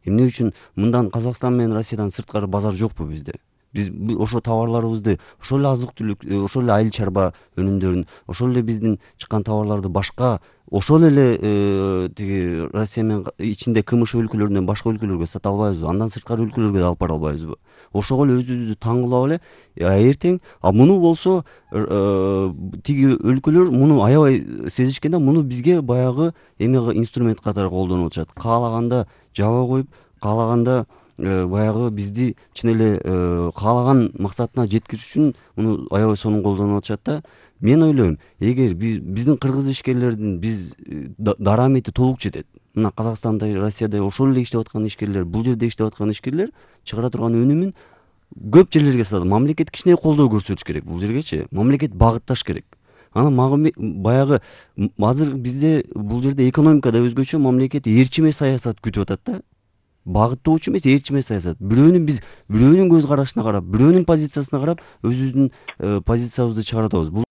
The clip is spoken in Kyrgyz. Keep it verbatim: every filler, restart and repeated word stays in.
Эмне үчүн мындан Казакстан менен Россиядан сырткары базар жокпу bizde? Биз ошо товарларыбызды, ошол эле азык-түлүк, ошол эле айыл чарба өнүмдөрүн, ошол эле биздин чыккан товарларды башка ошол эле тиги Россия менен ичинде КМШ өлкөлөрүнөн башка өлкөлөргө сата албайбызбы? Андан сырткары өлкөлөргө да алып бара албайбызбы? Ошого эле өзүбүздү таң кылып эле, эртең а муну болсо тиги өлкөлөр муну аябай сезишкен да, муну бизге баягы эме инструмент катары колдонуп атышат. Каалаганда жаба коюп, каалаганда баягы бизди чын эле каалаган максатына жеткириш үчүн муну аябай сонун колдонуп атышат да. Мен ойлойм, эгер биздин кыргыз ишкерлердин биз дарамети толук жетет. Мына Казакстанда, Россияда ошол эле иштеп аткан ишкерлер, бул жерде иштеп аткан ишкерлер чыгара турган өнүмүн көп жерлерге сатат. Мамлекет кичине колдоо көрсөтүш керек бул жергечи. Мамлекет багытташ керек. Анан баягы азыр бизде бул жерде экономика да өзгөчө, мамлекет ээрчиме саясат күтүп атат да. Багыттоочу эмес, ээрчиме саясат. Бирөөнүн биз бирөөнүн көз карашына карап, бирөөнүн позициясына карап өзүбүздүн позициябызды чыгарып атабыз.